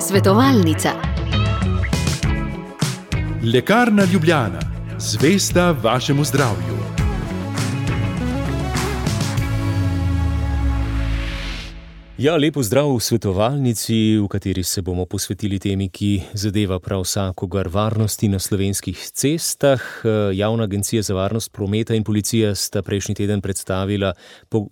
Svetovalnica. Lekarna Ljubljana, zvesta vašemu zdravju. Ja, lepo zdrav v svetovalnici, v kateri se bomo posvetili temi, ki zadeva prav vsakogar varnosti na slovenskih cestah. Javna agencija za varnost prometa in policija sta prejšnji teden predstavila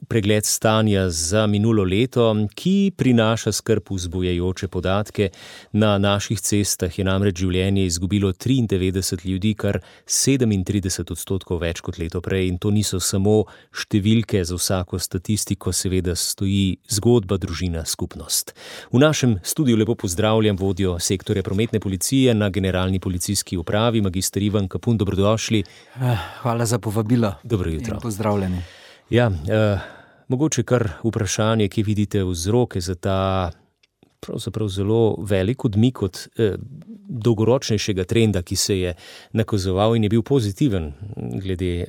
pregled stanja za minulo leto, ki prinaša skrb vzbujajoče podatke. Na naših cestah je namreč življenje izgubilo 93 ljudi, kar 37% več kot leto prej. In to niso samo številke, za vsako statistiko seveda stoji zgodba, družina, skupnost. V našem studiu lepo pozdravljam vodjo sektorja prometne policije na Generalni policijski upravi, magister Ivan Kapun, dobrodošli. Hvala za povabilo. Dobro jutro. In pozdravljeni. Ja, mogoče kar vprašanje, ki vidite vzroke za ta pravzaprav zelo velik odmik od dolgoročnejšega trenda, ki se je nakazoval in je bil pozitiven glede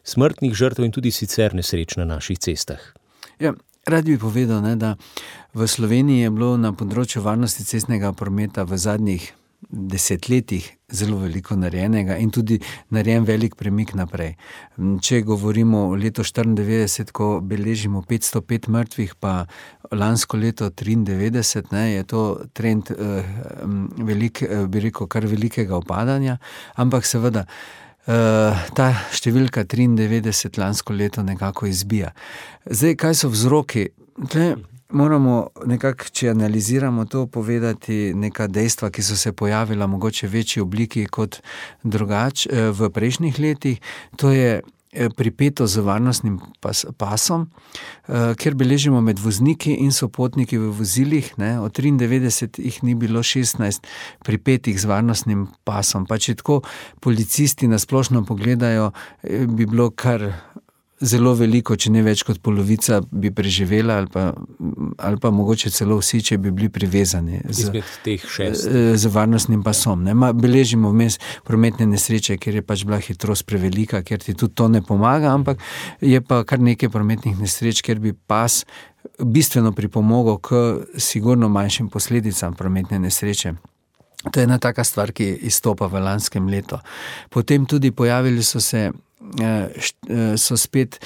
smrtnih žrtev in tudi sicer nesreč na naših cestah. Ja, rad bi povedal, da v Sloveniji je bilo na področju varnosti cestnega prometa v zadnjih desetletjih zelo veliko narejenega in tudi narejen velik premik naprej. Če govorimo o letu 1994, ko beležimo 505 mrtvih, pa lansko leto 1993, je to trend kar velikega upadanja, ampak seveda ta številka 93 lansko leto nekako izbija. Zdaj, kaj so vzroki? Tle moramo nekako, če analiziramo to, povedati neka dejstva, ki so se pojavila mogoče v večji obliki kot drugače v prejšnjih letih. To je pripeto z varnostnim pasom, kjer beležimo med vozniki in sopotniki v vozilih. Od 93 jih ni bilo 16 pripetih z varnostnim pasom. Pa če tako policisti na splošno pogledajo, bi bilo kar zelo veliko, če ne več kot polovica bi preživela ali pa mogoče celo vsi, če bi bili privezani z varnostnim pasom. Beležimo vmes prometne nesreče, kjer je pač bila hitrost prevelika, kjer ti tudi to ne pomaga, ampak je pa kar nekaj prometnih nesreč, kjer bi pas bistveno pripomogel k sigurno manjšim posledicam prometne nesreče. To je ena taka stvar, ki izstopa v lanskem letu. Potem tudi pojavili so spet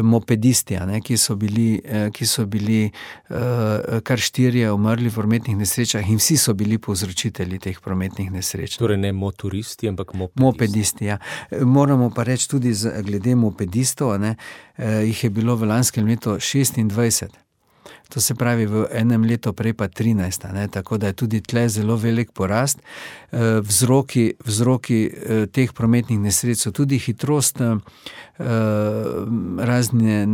mopedisti, ki so bili kar 4 umrli v prometnih nesrečah in vsi so bili povzročitelji teh prometnih nesreč. Torej ne motoristi, ampak mopedisti. Ja. Moramo pa reči tudi glede mopedistov, jih je bilo v lanskem letu 26. To se pravi v enem letu prej pa 13, tako da je tudi tle zelo velik porast. Vzroki teh prometnih nesreč so tudi hitrost, razne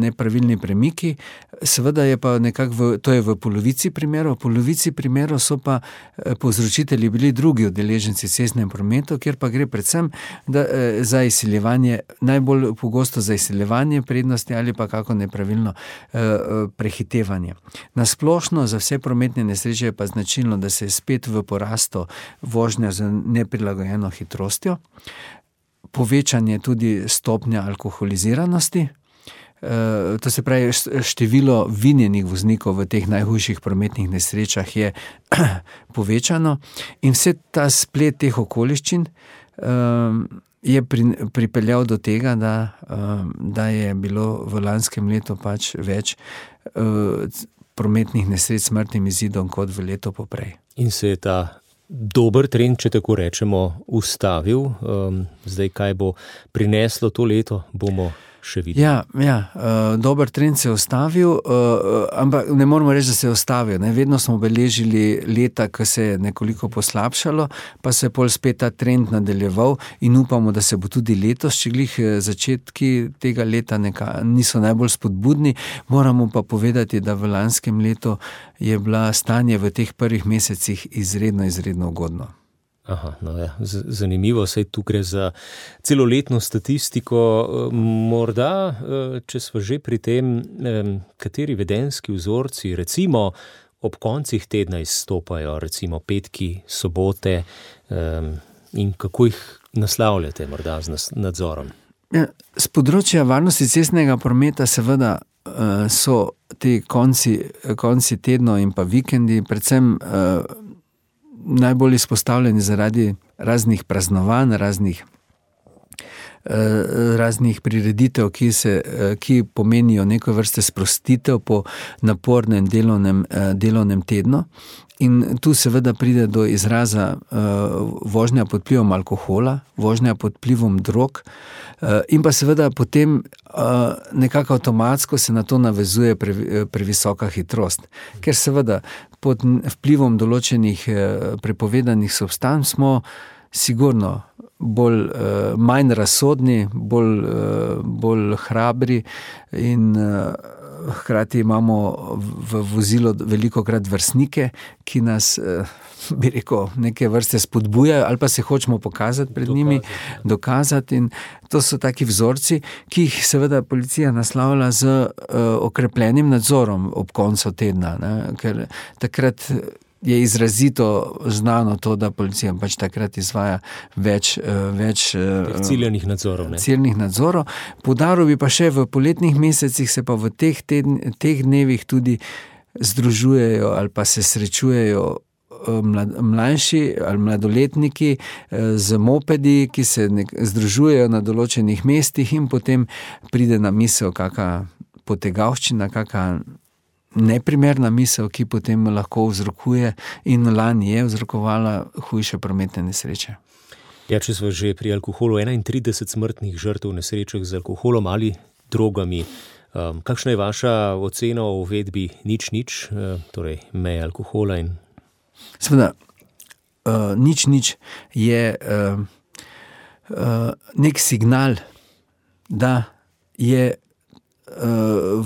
nepravilni premiki. Seveda je pa nekako, to je v polovici primerov so pa povzročitelji bili drugi udeleženci v cestnem prometu, kjer pa gre predvsem za izsiljevanje, najbolj pogosto za izsiljevanje prednosti ali pa kako nepravilno prehitevanje. Na splošno za vse prometne nesreče je pa značilno, da se je spet v porastu vožnja z neprilagojeno hitrostjo, povečanje tudi stopnja alkoholiziranosti, to se pravi število vinjenih voznikov v teh najhujših prometnih nesrečah je povečano in vse ta splet teh okoliščin je pripeljal do tega, da je bilo v lanskem letu pač več prometnih nesreč s smrtnim izidom kot v letu poprej. In se je ta dober trend, če tako rečemo, ustavil. Zdaj, kaj bo prineslo to leto, bomo še videli. Ja, dober trend se je ustavil, ampak ne moramo reči, da se je ustavil. Vedno smo beležili leta, ko se je nekoliko poslabšalo, pa se je pol spet ta trend nadaljeval in upamo, da se bo tudi letos, če glih začetki tega leta niso najbolj spodbudni. Moramo pa povedati, da v lanskem letu je bila stanje v teh prvih mesecih izredno ugodno. Aha, no ja, zanimivo, saj tu gre za celoletno statistiko. Morda, če smo že pri tem, kateri vedenjski vzorci recimo ob koncih tedna izstopajo, recimo petki, sobote, in kako jih naslavljate morda z nadzorom? Z področja varnosti cestnega prometa seveda so ti konci tednov in pa vikendi predvsem najbolj izpostavljeni zaradi raznih praznovanj, raznih prireditev, ki pomenijo neko vrste sprostitev po napornem delovnem tednu. In tu seveda pride do izraza vožnja pod vplivom alkohola, vožnja pod vplivom drog, in pa seveda potem nekako avtomatsko se na to navezuje previsoka hitrost. Ker seveda pod vplivom določenih prepovedanih substanc smo sigurno manj razsodni, bolj hrabri in hkrati imamo v vozilu velikokrat vrstnike, ki nas, bi rekel, neke vrste spodbujajo ali pa se hočemo pokazati pred njimi, dokazati. In to so taki vzorci, ki jih seveda policija naslavlja z okrepljenim nadzorom ob koncu tedna, ne? Ker takrat je izrazito znano to, da policija pač takrat izvaja več ciljenih nadzorov. Poudaril bi pa še v poletnih mesecih se pa v teh dnevih tudi združujejo ali pa se srečujejo mlajši ali mladoletniki z mopedi, ki se združujejo na določenih mestih in potem pride na misel kaka potegavščina, kaka neprimerna misel, ki potem lahko vzrokuje in lani je vzrokovala hujše prometne nesreče. Ja, če smo že pri alkoholu, 31 smrtnih žrtev v nesrečah z alkoholom ali drogami. Kakšna je vaša ocena o uvedbi nič, torej meje alkohola in... Seveda, nič je nek signal, da je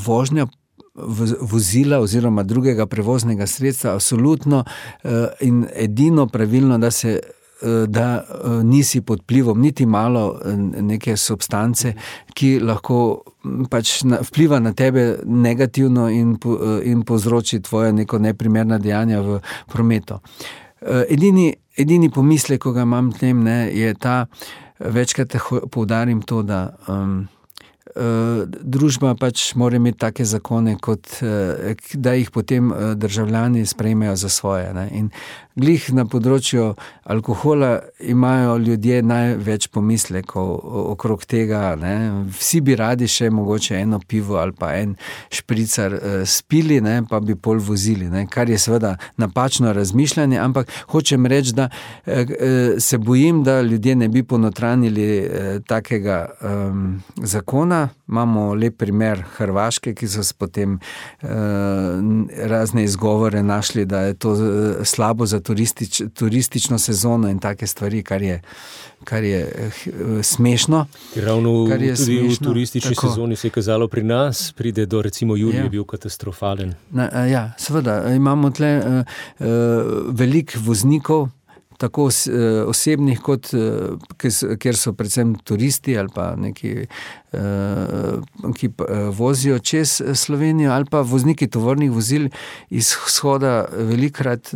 vožnja vozila oziroma drugega prevoznega sredstva absolutno in edino pravilno, da nisi pod vplivom niti malo neke substance, ki lahko pač vpliva na tebe negativno in povzroči tvoje neko neprimerna dejanja v prometu. Edini pomislek, ko ga imam tem, je ta, večkrat poudarim to, da družba pač mora imeti take zakone, da jih potem državljani sprejmejo za svoje. Ne? In glih na področju alkohola imajo ljudje največ pomislekov okrog tega. Ne? Vsi bi radi še mogoče eno pivo ali pa en špricar spili, ne? Pa bi pol vozili, ne? Kar je seveda napačno razmišljanje, ampak hočem reči, da se bojim, da ljudje ne bi ponotranili takega zakona. Imamo lep primer Hrvaške, ki so potem razne izgovore našli, da je to slabo za turistično sezono in take stvari, kar je smešno. Ravno tudi v turistični sezoni se je kazalo pri nas, pride do recimo julija, je bil katastrofalen. Ja, seveda, imamo tle veliko voznikov, tako osebnih, kot kjer so predvsem turisti ali pa neki, ki vozijo čez Slovenijo, ali pa vozniki tovornih vozil iz vzhoda velikokrat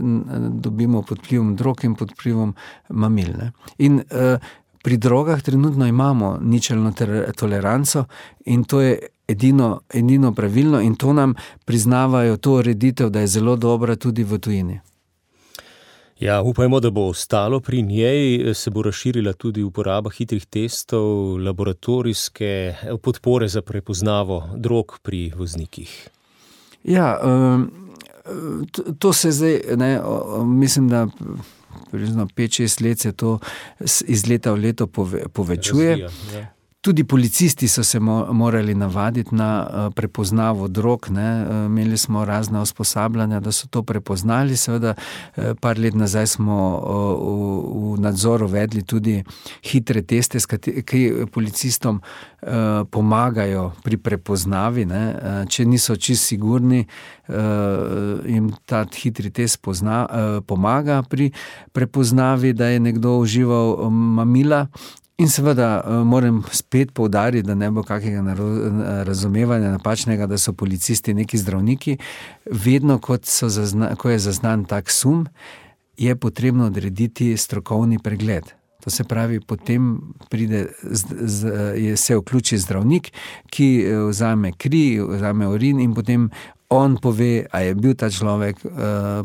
dobimo pod vplivom drog in pod vplivom mamil. Ne? In pri drogah trenutno imamo ničelno toleranco in to je edino pravilno in to nam priznavajo to ureditev, da je zelo dobra tudi v tujini. Ja, upajmo, da bo ostalo pri njej, se bo razširila tudi uporaba hitrih testov, laboratorijske podpore za prepoznavo drog pri voznikih. Ja, to se zdaj, mislim, da 5-6 let se to iz leta v leto povečuje. Razvija, ja. Tudi policisti so se morali navaditi na prepoznavo drog. Imeli smo razna usposabljanja, da so to prepoznali. Seveda, par let nazaj smo v nadzoru vedli tudi hitre teste, ki policistom pomagajo pri prepoznavi. Če niso čisto sigurni, jim ta hitri test pomaga pri prepoznavi, da je nekdo užival mamila. In seveda moram spet poudariti, da ne bo kakega razumevanja napačnega, da so policisti neki zdravniki. Vedno, ko je zaznan tak sum, je potrebno odrediti strokovni pregled. To se pravi, potem pride, se vključi zdravnik, ki vzame kri, vzame urin in potem on pove, a je bil ta človek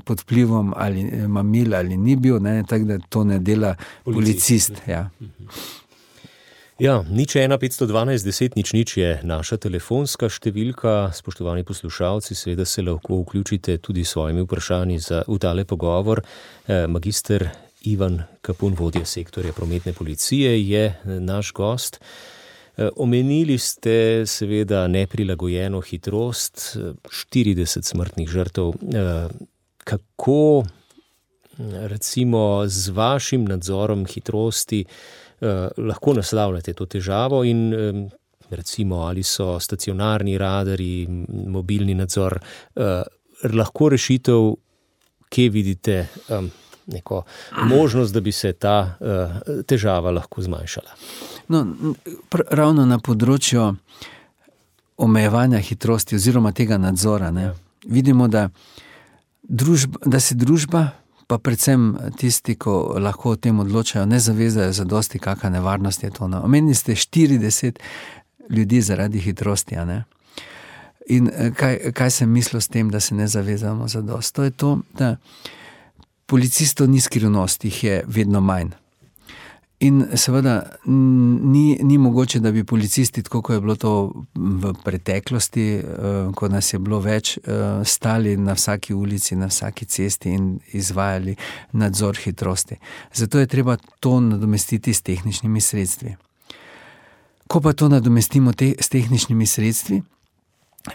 pod vplivom ali mamil ali ni bil, tako da to ne dela policist. Ja. Ja, 01512 je naša telefonska številka. Spoštovani poslušalci, seveda se lahko vključite tudi s svojimi vprašanji v tale pogovor. Magister Ivan Kapun, vodja sektorja prometne policije, je naš gost. Omenili ste seveda neprilagojeno hitrost, 40 smrtnih žrtev. Kako recimo z vašim nadzorom hitrosti lahko naslavljate to težavo in recimo ali so stacionarni radarji, mobilni nadzor, lahko rešitev, kje vidite neko možnost, da bi se ta težava lahko zmanjšala? No, ravno na področju omejevanja hitrosti oziroma tega nadzora, vidimo, da se družba, pa predvsem tisti, ko lahko o tem odločajo, ne zavezajo zadosti, kakšna nevarnost je to. Omenili ste 40 ljudi zaradi hitrosti. In kaj sem mislil s tem, da se ne zavezamo zadosti? To je to, da policistov ni skrivnost, jih je vedno manj. In seveda ni mogoče, da bi policisti, tako kot je bilo to v preteklosti, ko nas je bilo več, stali na vsaki ulici, na vsaki cesti in izvajali nadzor hitrosti. Zato je treba to nadomestiti s tehničnimi sredstvi. Ko pa to nadomestimo s tehničnimi sredstvi,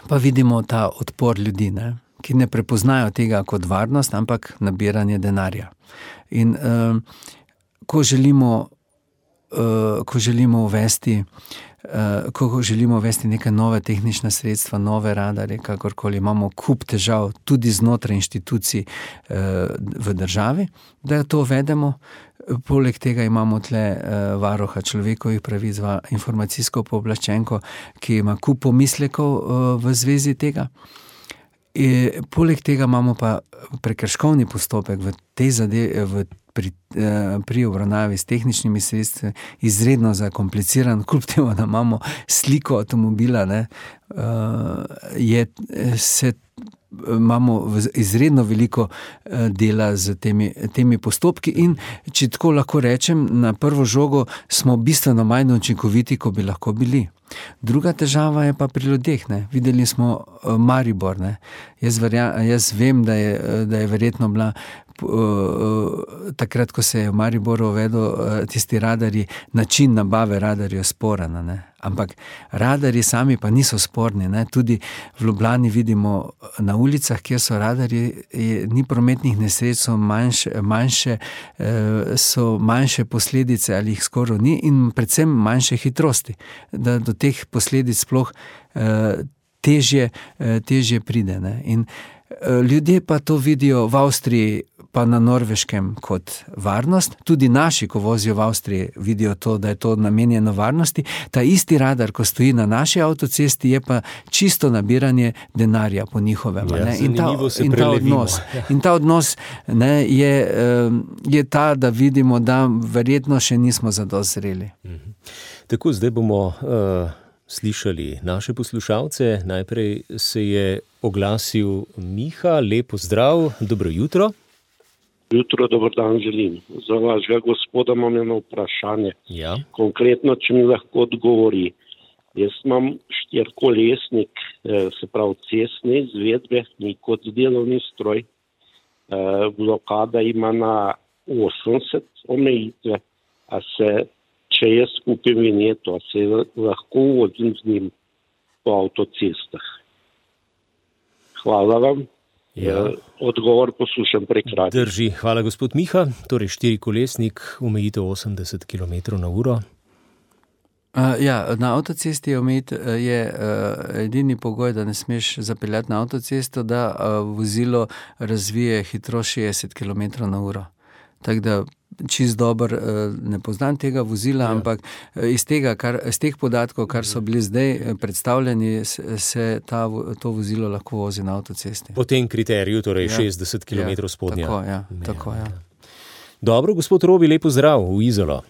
pa vidimo ta odpor ljudi, ki ne prepoznajo tega kot varnost, ampak nabiranje denarja. In ko želimo uvesti neke nove tehnične sredstva, nove radarje, kakorkoli, imamo kup težav tudi znotraj inštitucij v državi, da to uvedemo. Poleg tega imamo tle varuha človekovih pravic, informacijsko pooblaščenko, ki ima kup pomislekov v zvezi tega. Poleg tega imamo pa prekrškovni postopek v tej zadevi, pri obravnavi s tehničnimi sredstvi izredno zakompliciran, kljub temu, da imamo sliko avtomobila, imamo izredno veliko dela z temi postopki in, če tako lahko rečem, na prvo žogo smo bistveno manj učinkoviti, kot bi lahko bili. Druga težava je pa pri ljudeh. Videli smo Maribor. Jaz vem, da je verjetno bila takrat, ko se je v Mariboru uvedel tisti radarji, način nabave radarjev sporen. Ampak radarji sami pa niso sporni. Tudi v Ljubljani vidimo na ulicah, kjer so radarji, ni prometnih nesreč, so manjše posledice ali jih skoraj ni in predvsem manjše hitrosti, da do teh posledic sploh težje pride. In ljudje pa to vidijo v Avstriji pa na Norveškem kot varnost. Tudi naši, ko vozijo v Avstriji, vidijo to, da je to namenjeno varnosti. Ta isti radar, ko stoji na naši avtocesti, je pa čisto nabiranje denarja po njihovem. In ta odnos je ta, da vidimo, da verjetno še nismo zadosti zreli. Tako, zdaj bomo slišali naše poslušalce. Najprej se je oglasil Miha. Lepo zdrav, dobro jutro. Jutro, dober dan želim. Za vašega gospoda imam eno vprašanje. Ja. Konkretno, če mi lahko odgovori. Jaz imam 4-kolesnik, se pravi cestne izvedbe, ni kot delovni stroj. Blokada ima na 80 omejitve, a se, če jaz kupim vinjeto, a se lahko vozim z njim po avtocestah. Hvala vam. Ja. Odgovor poslušam prek radia. Drži, hvala gospod Miha. Torej 4-kolesnik, omejitev 80 km/h. Na avtocesti je edini pogoj, da ne smeš zapeljati na avtocesto, da vozilo razvije hitrost 60 km/h. Tako da čist dobro ne poznam tega vozila, ampak iz teh podatkov, kar so bili zdaj predstavljeni, se to vozilo lahko vozi na avtocesti. Po tem kriteriju, torej 60 km spodnja. Tako. Dobro, gospod Robi, lepo zdrav v Izolo.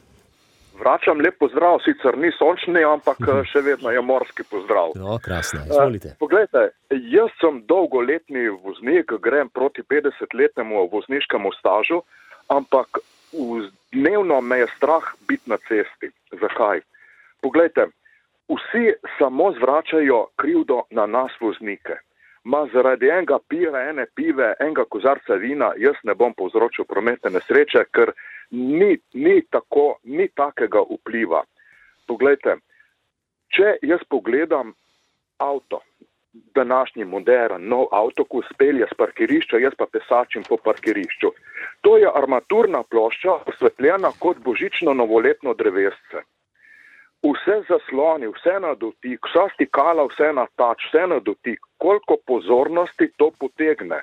Vračam lep pozdrav, sicer ni sončni, ampak še vedno je morski pozdrav. No, krasno, izvolite. Poglejte, jaz sem dolgoletni voznik, grem proti 50-letnemu vozniškemu stažu, ampak dnevno me je strah biti na cesti. Zakaj? Poglejte, vsi samo zvračajo krivdo na nas voznike. Zaradi enega piva, ene pive, enega kozarca vina, jaz ne bom povzročil prometne nesreče, ker ni takega vpliva. Poglejte, če jaz pogledam avto, današnji modern, nov avto, ko spelje z parkirišča, jaz pa pesačim po parkirišču. To je armaturna plošča, osvetljena kot božično novoletno drevesce. Vse zasloni, vse na dotik, vsa stikala, vse na tač, vse na dotik, koliko pozornosti to potegne.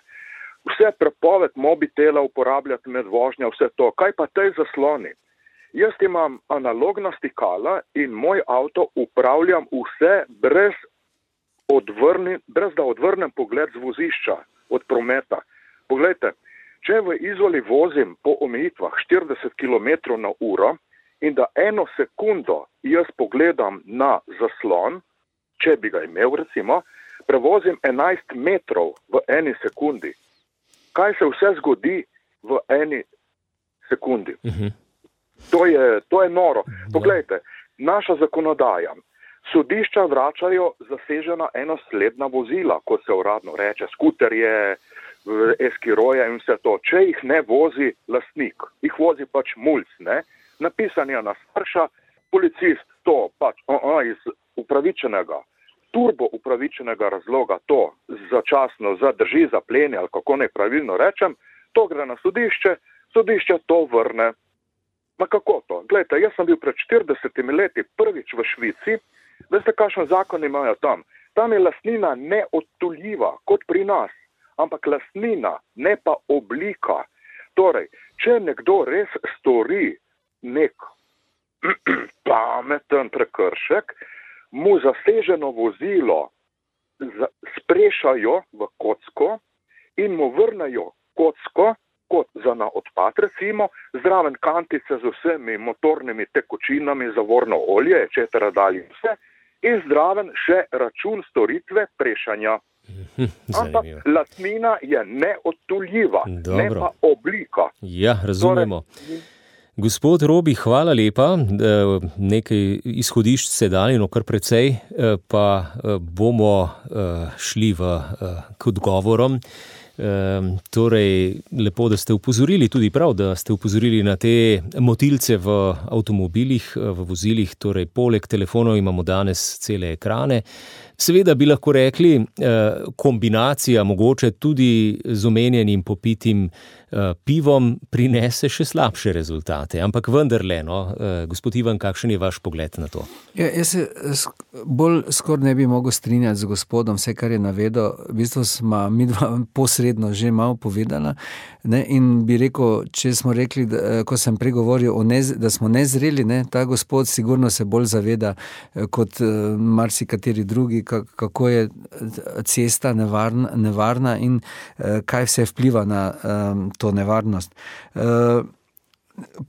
Vse prepoved mobitela uporabljati med vožnjo, vse to. Kaj pa tej zasloni? Jaz imam analogna stikala in moj avto upravljam vse brez da odvrnem pogled z vozišča, od prometa. Poglejte, če v Izoli vozim po omejitvah 40 km na uro, in da 1 sekundo jaz pogledam na zaslon, če bi ga imel recimo, prevozim 11 metrov v 1 sekundi. Kaj se vse zgodi v 1 sekundi? To je noro. Poglejte, naša zakonodaja. Sodišča vračajo zasežena enosledna vozila, kot se uradno reče, skuterje, eskiroje in vse to. Če jih ne vozi lastnik, jih vozi pač mulc, ne? Napisan je na starša, policist to pač iz upravičenega, turbo upravičenega razloga to začasno zadrži, zapleni ali kako naj pravilno rečem, to gre na sodišče, sodišče to vrne. Ma kako to? Glejte, jaz sem bil pred 40 leti prvič v Švici, veste, kakšen zakon imajo tam? Tam je lastnina neodtuljiva, kot pri nas, ampak lastnina, ne pa oblika. Torej, če nekdo res stori nek pameten prekršek, mu zaseženo vozilo sprešajo v kocko in mu vrnejo kocko, kot za na odpad recimo, zraven kantice z vsemi motornimi tekočinami, zavorno olje, etc. dalje vse, in zraven še račun storitve prešanja. Ampak lastnina je neodtuljiva, ne pa oblika. Ja, razumemo. Gospod Robi, hvala lepa. Nekaj izhodišč se dali, no kar precej, pa bomo šli k odgovorom. Torej, lepo, da ste upozorili, tudi prav, da ste upozorili na te motilce v avtomobilih, v vozilih, torej poleg telefonov imamo danes cele ekrane. Seveda bi lahko rekli, kombinacija mogoče tudi z omenjenim popitim pivom prinese še slabše rezultate, ampak vendarle, no, gospod Ivan, kakšen je vaš pogled na to? Ja, jaz se bolj skoraj ne bi mogel strinjati z gospodom, vse, kar je navedel, v bistvu smo midva posredno že malo povedala, ne, in bi rekel, če smo rekli, ko sem pregovoril da smo nezreli, ne, ta gospod sigurno se bolj zaveda kot marsikateri drugi, kako je cesta nevarna in kaj vse vpliva na to nevarnost.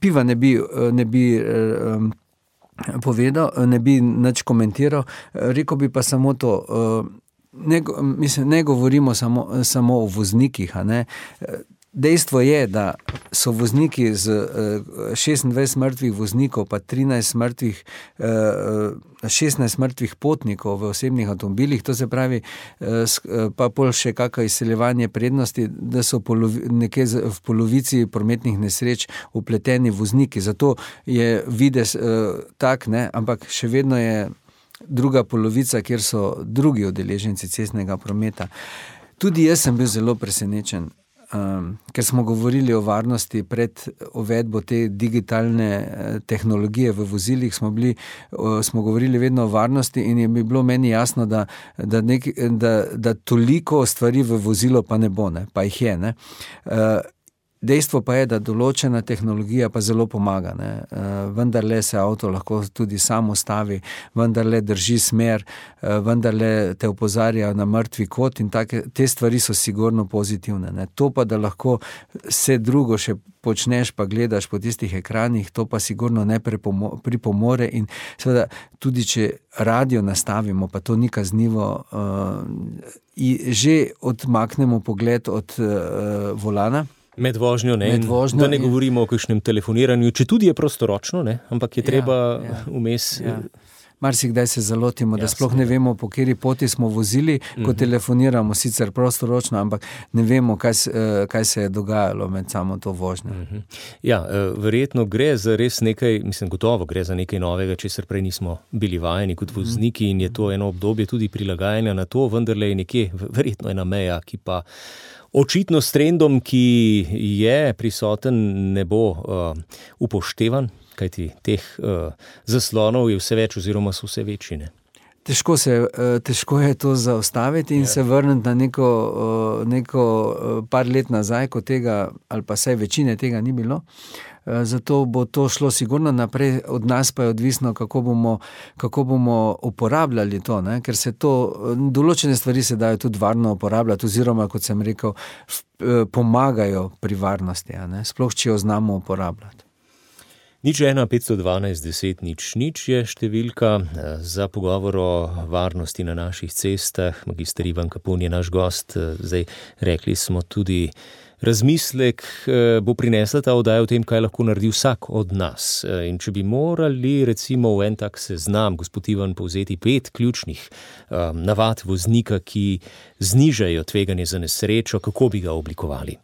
Piva ne bi povedal, ne bi nič komentiral, rekel bi pa samo to, ne govorimo samo o voznikih, a ne. Dejstvo je, da so vozniki z 26 mrtvih voznikov, pa 16 mrtvih potnikov v osebnih avtomobilih, to se pravi, pa pol še kakšno izseljevanje prednosti, da so nekje v polovici prometnih nesreč vpleteni vozniki. Zato je videz tak, ne, ampak še vedno je druga polovica, kjer so drugi udeleženci cestnega prometa. Tudi jaz sem bil zelo presenečen, ker smo govorili o varnosti pred uvedbo te digitalne tehnologije v vozilih, smo govorili vedno o varnosti in je bilo meni jasno, da toliko stvari v vozilo pa ne bo, ne, pa jih je, ne. Dejstvo pa je, da določena tehnologija pa zelo pomaga, ne. Vendarle se avto lahko tudi sam ustavi, vendarle drži smer, vendarle te opozarja na mrtvi kot in te stvari so sigurno pozitivne, ne. To pa, da lahko vse drugo še počneš pa gledaš po tistih ekranih, to pa sigurno ne pripomore in seveda tudi, če radio nastavimo, pa to ni kaznivo, že odmaknemo pogled od volana. Med vožnjo, ne, da ne govorimo o kakšnem telefoniranju, če tudi je prostoročno, ne, ampak je treba vmes... Marsikdaj se zalotimo, da sploh ne vemo, po kateri poti smo vozili, ko telefoniramo, sicer prostoročno, ampak ne vemo, kaj se je dogajalo med samo to vožnjo. Ja, verjetno gre za res nekaj, gotovo gre za nekaj novega, česar prej nismo bili vajeni kot vozniki in je to eno obdobje tudi prilagajanja na to, vendarle je nekje verjetno ena meja, ki pa očitno s trendom, ki je prisoten, ne bo upoštevan, kajti teh zaslonov je vse več oziroma so vse večji, ne? Težko je to zaustaviti in se vrniti na neko par let nazaj, ko tega, ali pa saj večine tega ni bilo. Zato bo to šlo sigurno naprej, od nas pa je odvisno, kako bomo uporabljali to, ne? Ker se to, določene stvari se dajo tudi varno uporabljati, oziroma, kot sem rekel, pomagajo pri varnosti, ne? Sploh, če jo znamo uporabljati. 01 512 10 00 je številka za pogovor o varnosti na naših cestah. Magister Ivan Kapun je naš gost. Zdaj, rekli smo tudi, razmislek bo prinesla ta oddaja o tem, kaj lahko naredi vsak od nas. In če bi morali recimo v en tak seznam, gospod Ivan, povzeti 5 ključnih navad voznika, ki znižajo tveganje za nesrečo, kako bi ga oblikovali?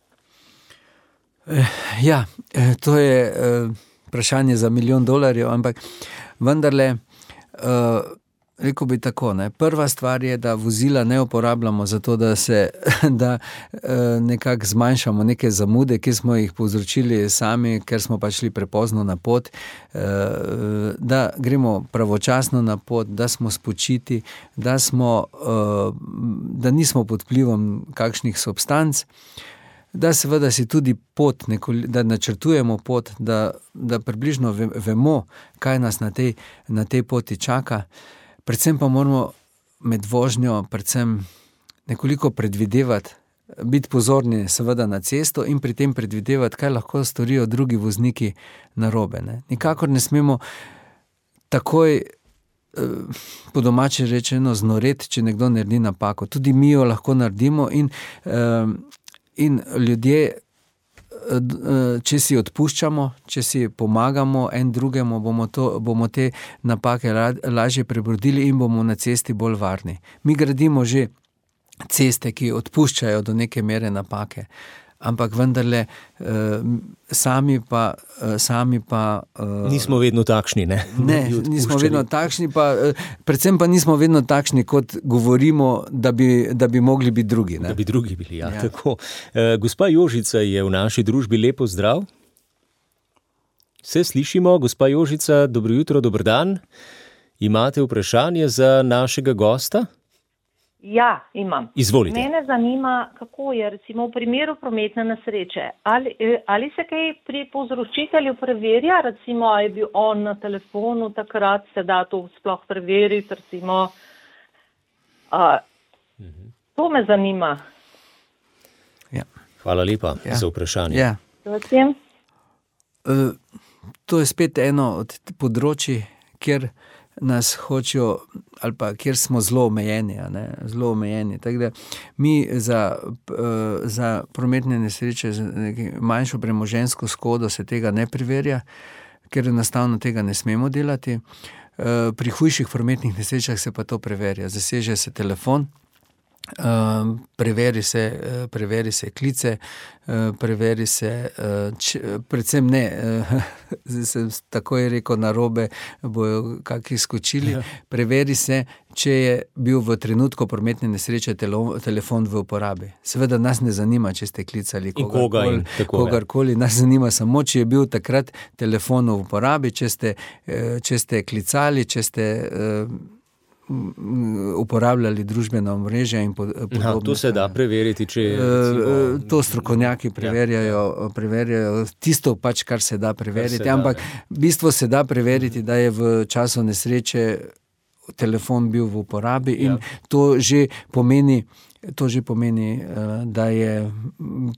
Ja, to je vprašanje za $1 milijon, ampak vendarle, rekel bi tako, ne. Prva stvar je, da vozila ne uporabljamo zato, da nekako zmanjšamo neke zamude, ki smo jih povzročili sami, ker smo pa šli prepozno na pot, da gremo pravočasno na pot, da smo spočiti, da nismo pod vplivom kakšnih substanc, da seveda si tudi pot, da načrtujemo pot, da približno vemo, kaj nas na tej poti čaka. Predvsem pa moramo med vožnjo nekoliko predvidevati, biti pozorni seveda na cesto in pri tem predvidevati, kaj lahko storijo drugi vozniki narobe, ne. Nikakor ne smemo takoj, po domače rečeno, znoreti, če nekdo naredi napako. Tudi mi jo lahko naredimo in ljudje, če si odpuščamo, če si pomagamo en drugemu, bomo te napake lažje prebrodili in bomo na cesti bolj varni. Mi gradimo že ceste, ki odpuščajo do neke mere napake, ampak vendarle sami pa nismo vedno takšni, ne? Ne, nismo vedno takšni, predvsem pa nismo vedno takšni, kot govorimo, da bi mogli biti drugi, ne? Da bi drugi bili, ja. Tako. Gospa Jožica je v naši družbi, lepo zdrav. Se slišimo, gospa Jožica, dobro jutro, dober dan. Imate vprašanje za našega gosta? Ja, imam. Izvolite. Mene zanima, kako je recimo v primeru prometne nesreče. Ali se kaj pri povzročitelju preverja, recimo, je bil on na telefonu takrat, se da to sploh preveriti, recimo. To me zanima. Ja. Hvala lepa za vprašanje. Ja. To je spet eno od področij, kjer nas hočejo, ali pa kjer smo zelo omejeni, zelo omejeni. Tako da mi za prometne nesreče, za manjšo premoženjsko škodo se tega ne preverja, ker enostavno tega ne smemo delati. Pri hujših prometnih nesrečah se pa to preverja. Zaseže se telefon, preveri se klice, preveri se, predvsem ne, sem takoj rekel narobe, bojo kakšni skočili, preveri se, če je bil v trenutku prometne nesreče telefon v uporabi. Seveda nas ne zanima, če ste klicali kogarkoli, nas zanima samo, če je bil takrat telefon v uporabi, če ste klicali, če ste uporabljali družbena omrežja in podobno. To se da preveriti, če to strokovnjaki preverjajo tisto pač, kar se da preveriti, ampak v bistvu se da preveriti, da je v času nesreče telefon bil v uporabi in to že pomeni, da je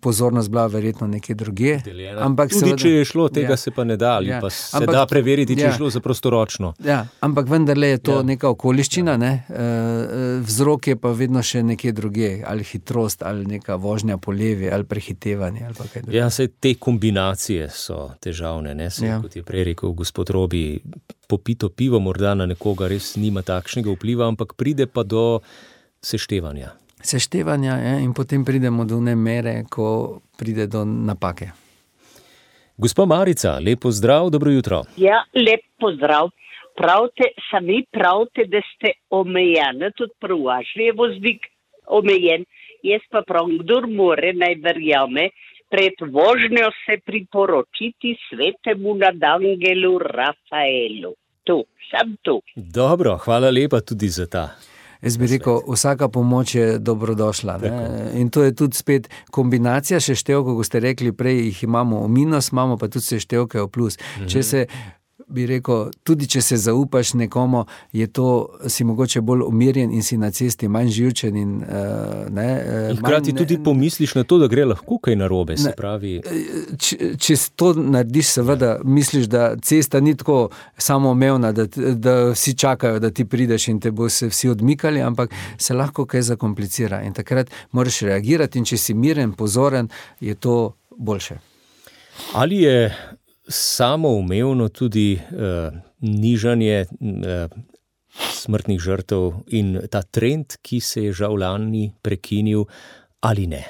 pozornost bila verjetno nekje drugje. Ampak tudi, če je šlo, tega se pa ne da, ali pa se da preveriti, če je šlo za prostoročno. Ja, ampak vendarle je to neka okoliščina, ne? Vzrok je pa vedno še nekje drugje, ali hitrost, ali neka vožnja po levi, ali prehitevanje, ali pa kaj drugega. Ja, saj te kombinacije so težavne, ne? Kot je prej rekel gospod Robi, popito pivo morda na nekoga res nima takšnega vpliva, ampak pride pa do seštevanja. In potem pridemo do one mere, ko pride do napake. Gospa Marica, lep pozdrav, dobro jutro. Ja, lep pozdrav. Sami pravite, da ste omejeni, tudi prvaš je voznik omejen. Jaz pa pravim, kdor more, naj verjame, pred vožnjo se priporočiti svetemu nadangelu Rafaelu. Sam tu. Dobro, hvala lepa tudi za ta. Jaz bi rekel, vsaka pomoč je dobrodošla. In to je tudi spet kombinacija seštevkov, ko ste rekli prej, jih imamo v minus, imamo pa tudi seštevke v plus. Če se, bi rekel, tudi če se zaupaš nekomu, je to, si mogoče bolj umirjen in si na cesti manj živčen in hkrati tudi pomisliš na to, da gre lahko kaj narobe, se pravi. Če to narediš, seveda misliš, da cesta ni tako samoumevna, da vsi čakajo, da ti prideš in te bo se vsi odmikali, ampak se lahko kaj zakomplicira in takrat moraš reagirati in če si miren, pozoren, je to boljše. Ali je samoumevno tudi nižanje smrtnih žrtev in ta trend, ki se je žal lani prekinil, ali ne?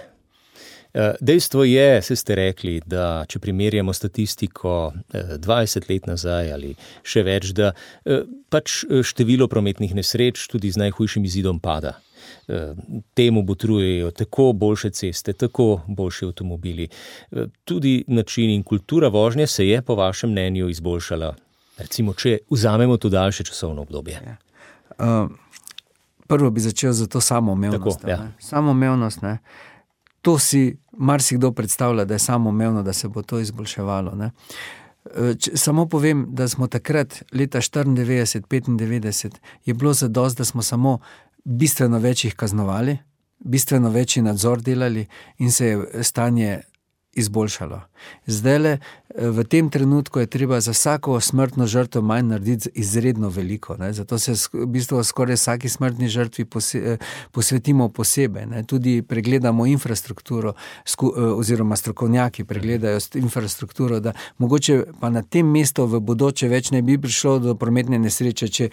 Dejstvo je, se ste rekli, da če primerjamo statistiko 20 let nazaj ali še več, da pač število prometnih nesreč tudi z najhujšim izidom pada. Temu botrujejo tako boljše ceste, tako boljši avtomobili. Tudi način in kultura vožnje se je po vašem mnenju izboljšala. Recimo, če vzamemo to daljše časovno obdobje. Prvo bi začel za to samoumevnost. Samoumevnost, ne. To si marsikdo predstavlja, da je samoumevno, da se bo to izboljševalo. Ne. Samo povem, da smo takrat, leta 94-95, je bilo zadosti, da smo samo bistveno več jih kaznovali, bistveno večji nadzor delali in se je stanje izboljšalo. Zdajle, v tem trenutku je treba za vsako smrtno žrtev manj narediti izredno veliko. Ne? Zato se v bistvu skoraj vsaki smrtni žrtvi posvetimo posebej. Ne? Tudi pregledamo infrastrukturo, oziroma strokovnjaki pregledajo infrastrukturo, da mogoče pa na tem mestu v bodoče več ne bi prišlo do prometne nesreče, če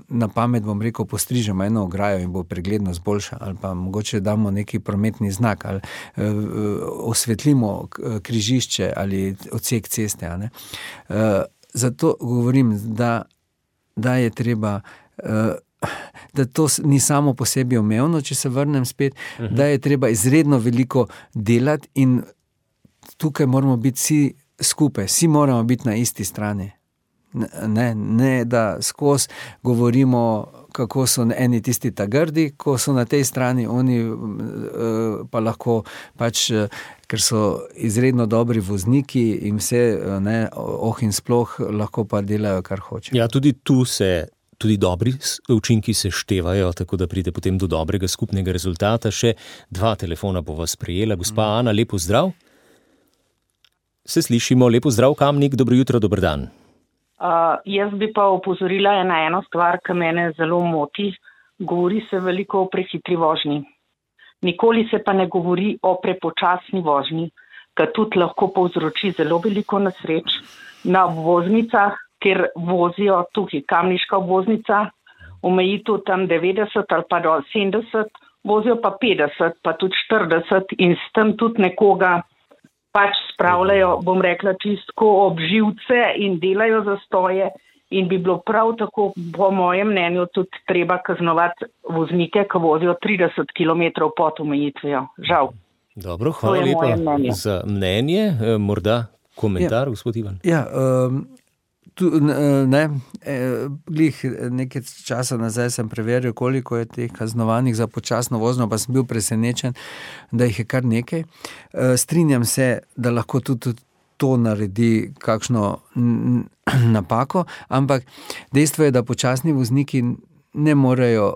na pamet, bom rekel, postrižemo eno ograjo in bo preglednost boljša, ali pa mogoče damo neki prometni znak, ali osvetlimo križišče ali odsek ceste. Ne? Zato govorim, da je treba, da to ni samo po sebi umevno, če se vrnem spet, da je treba izredno veliko delati in tukaj moramo biti vsi skupaj, vsi moramo biti na isti strani. Ne, da skozi govorimo, kako so eni tisti ta grdi, ko so na tej strani, oni pa lahko pač, ker so izredno dobri vozniki in vse, in sploh lahko pa delajo, kar hoče. Ja, tudi tu se tudi dobri učinki se števajo, tako da pride potem do dobrega skupnega rezultata. Še 2 telefona bo vas prejela. Gospa Ana, lepo zdrav. Se slišimo, lepo zdrav, Kamnik, dobro jutro, dober dan. Jaz bi pa opozorila na eno stvar, ki mene zelo moti. Govori se veliko o prehitri vožnji. Nikoli se pa ne govori o prepočasni vožnji, ki tudi lahko povzroči zelo veliko nesreč na obvoznicah, kjer vozijo tukaj kamniška obvoznica, omejitev tam 90 ali pa do 70, vozijo pa 50, pa tudi 40 in s tem tudi nekoga pač spravljajo, bom rekla, čistko ob živce in delajo zastoje in bi bilo prav tako, po mojem mnenju, tudi treba kaznovati voznike, ki vozijo 30 km pod omejitvijo. Žal. Dobro, hvala lepa za mnenje. Morda komentar, gospod Ivan? Ja, Nekaj časa nazaj sem preveril, koliko je teh kaznovanih za počasno vožnjo, pa sem bil presenečen, da jih je kar nekaj. Strinjam se, da lahko tudi to naredi kakšno napako, ampak dejstvo je, da počasni vozniki ne morejo,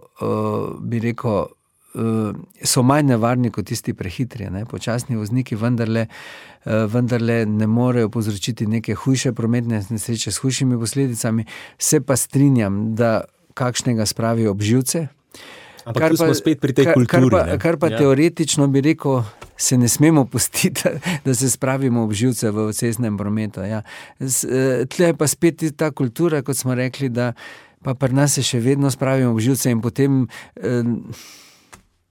bi rekel, so manj nevarni kot tisti prehitri. Počasni vozniki vendarle ne morejo povzročiti neke hujše prometne nesreče s hujšimi posledicami. Se pa strinjam, da kakšnega spravijo ob živce. Ampak tu smo spet pri tej kulturi. Kar pa teoretično bi rekel, se ne smemo pustiti, da se spravimo ob živce v cestnem prometu. Ja. Tle je pa spet ta kultura, kot smo rekli, da pa pri nas se še vedno spravimo ob živce in potem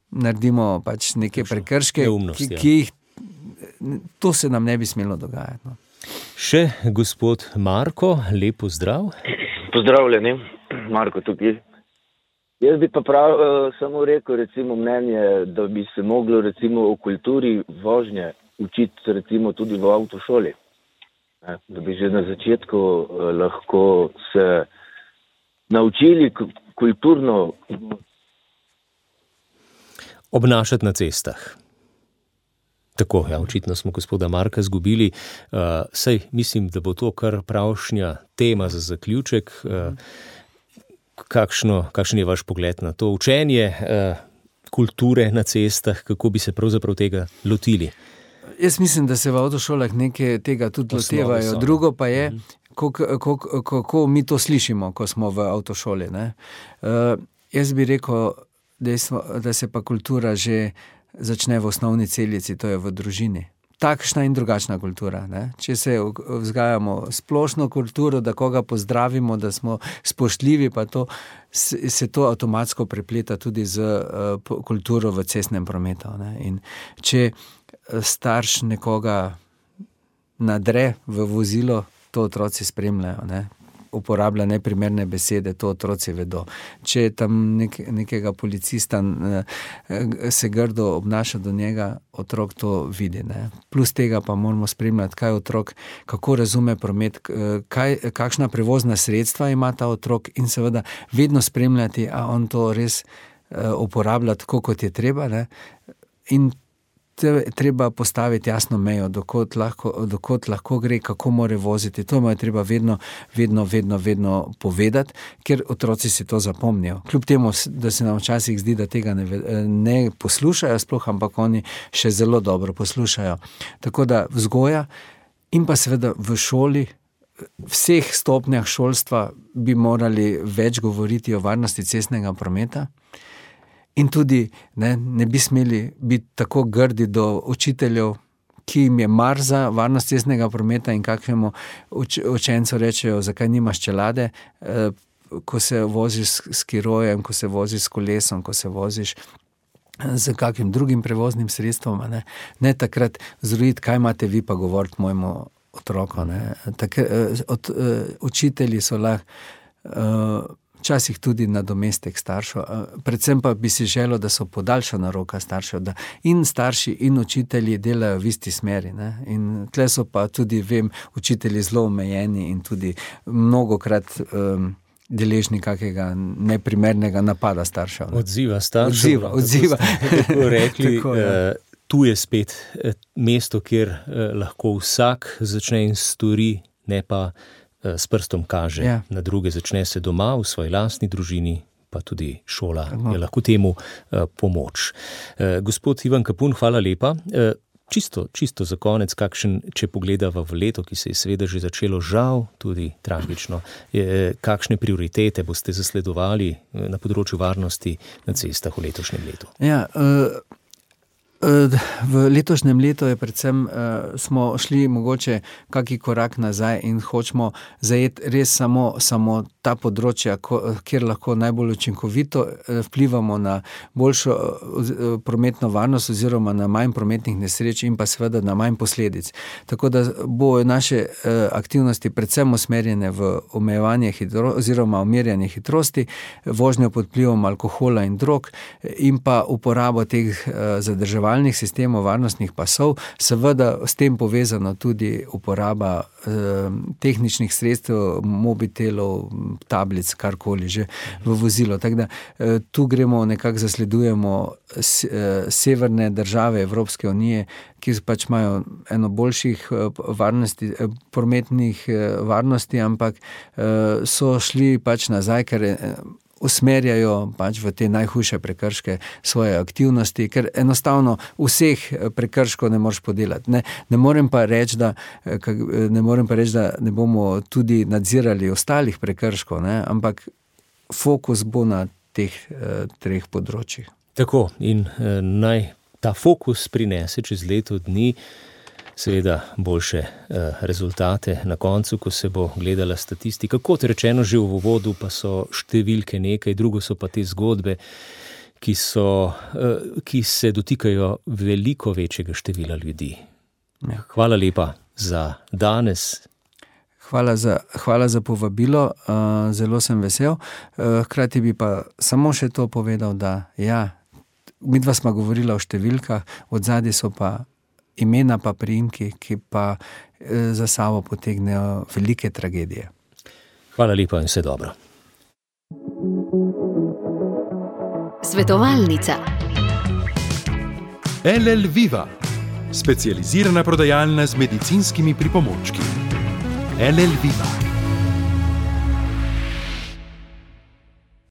naredimo pač neke prekrške, ki jih, to se nam ne bi smelo dogajati. No. Še gospod Marko, lep pozdrav. Pozdravljeni, Marko tukaj. Jaz bi pa samo rekel, recimo, mnenje, da bi se moglo recimo o kulturi vožnje učiti recimo tudi v avtošoli. Da bi že na začetku lahko se naučili kulturno obnašati na cestah. Tako, ja, očitno smo gospoda Marka zgubili. Saj mislim, da bo to kar pravšnja tema za zaključek. Kakšen je vaš pogled na to učenje kulture na cestah, kako bi se pravzaprav tega lotili? Jaz mislim, da se v avtošolah nekaj tega tudi lotevajo. Drugo pa je, kako mi to slišimo, ko smo v avtošoli. Jaz bi rekel, da se pa kultura že začne v osnovni celici, to je v družini. Takšna in drugačna kultura. Če se vzgajamo splošno kulturo, da koga pozdravimo, da smo spoštljivi, pa to, se to avtomatsko prepleta tudi z kulturo v cestnem prometu. In če starš nekoga nadre v vozilo, to otroci spremljajo. Uporablja neprimerne besede, to otroci vedo. Če tam nekega policista se grdo obnaša do njega, otrok to vidi. Plus tega pa moramo spremljati, kaj otrok, kako razume promet, kakšna prevozna sredstva ima ta otrok in seveda vedno spremljati, a on to res uporablja tako, kot je treba. In treba postaviti jasno mejo, dokot lahko gre, kako more voziti. To mu je treba vedno povedati, ker otroci si to zapomnijo. Kljub temu, da se nam včasih zdi, da tega ne poslušajo sploh, ampak oni še zelo dobro poslušajo. Tako da vzgoja in pa seveda v šoli, vseh stopnjah šolstva bi morali več govoriti o varnosti cestnega prometa. In tudi ne bi smeli biti tako grdi do učiteljev, ki jim je mar za varnost cestnega prometa in kakšnemu učencu rečejo, zakaj nimaš čelade, ko se voziš s skirojem, ko se voziš s kolesom, ko se voziš z kakšnim drugim prevoznim sredstvom. Ne takrat zrojiti, kaj imate vi pa govoriti mojemu otroku. Učitelji so lahko včasih tudi nadomestek staršev, predvsem pa bi si želel, da so podaljšana roka staršev, da in starši in učitelji delajo v isti smeri. In tle so pa tudi, vem, učitelji zelo omejeni in tudi mnogokrat deležni kakega neprimernega napada staršev. Odziva staršev. Odziva. Tako rekli, tako, tu je spet mesto, kjer lahko vsak začne in stori, ne pa s prstom kaže na druge, začne se doma, v svoji lastni družini, pa tudi šola je lahko temu pomoč. Gospod Ivan Kapun, hvala lepa. Čisto za konec, če pogledava v leto, ki se je seveda že začelo, žal, tudi tragično, kakšne prioritete boste zasledovali na področju varnosti na cestah v letošnjem letu? Ja, v letošnjem letu je predvsem, smo šli mogoče kaki korak nazaj in hočemo zajeti res samo ta področja, kjer lahko najbolj učinkovito vplivamo na boljšo prometno varnost oziroma na manj prometnih nesreč in pa seveda na manj posledic. Tako da bo naše aktivnosti predvsem usmerjene v omejevanje oziroma umirjanje hitrosti, vožnjo pod vplivom alkohola in drog in pa uporabo teh zadrževalnih varovalnih sistemov, varnostnih pasov, seveda s tem povezano tudi uporaba tehničnih sredstev, mobitelov, tablic, karkoli že v vozilo. Tako da tu gremo, nekako zasledujemo severne države Evropske unije, ki pač imajo eno boljših prometnih varnosti, ampak so šli pač nazaj, ker usmerjajo pač v te najhujše prekrške svoje aktivnosti, ker enostavno vseh prekrškov ne moreš podelati. Ne morem pa reči, da ne bomo tudi nadzirali ostalih prekrškov, ampak fokus bo na teh treh področjih. Tako, in naj ta fokus prinese čez leto dni seveda boljše rezultate na koncu, ko se bo gledala statistika. Kot rečeno že v uvodu, pa so številke nekaj, drugo so pa te zgodbe, ki se dotikajo veliko večjega števila ljudi. Hvala lepa za danes. Hvala za povabilo, zelo sem vesel. Hkrati bi pa samo še to povedal, da midva sva govorila o številkah, odzadaj so pa imena pa priimki, ki pa za sabo potegnejo velike tragedije. Hvala lepa in vse dobro. Svetovalnica. LL Viva, specializirana prodajalna z medicinskimi pripomočki. LL Viva.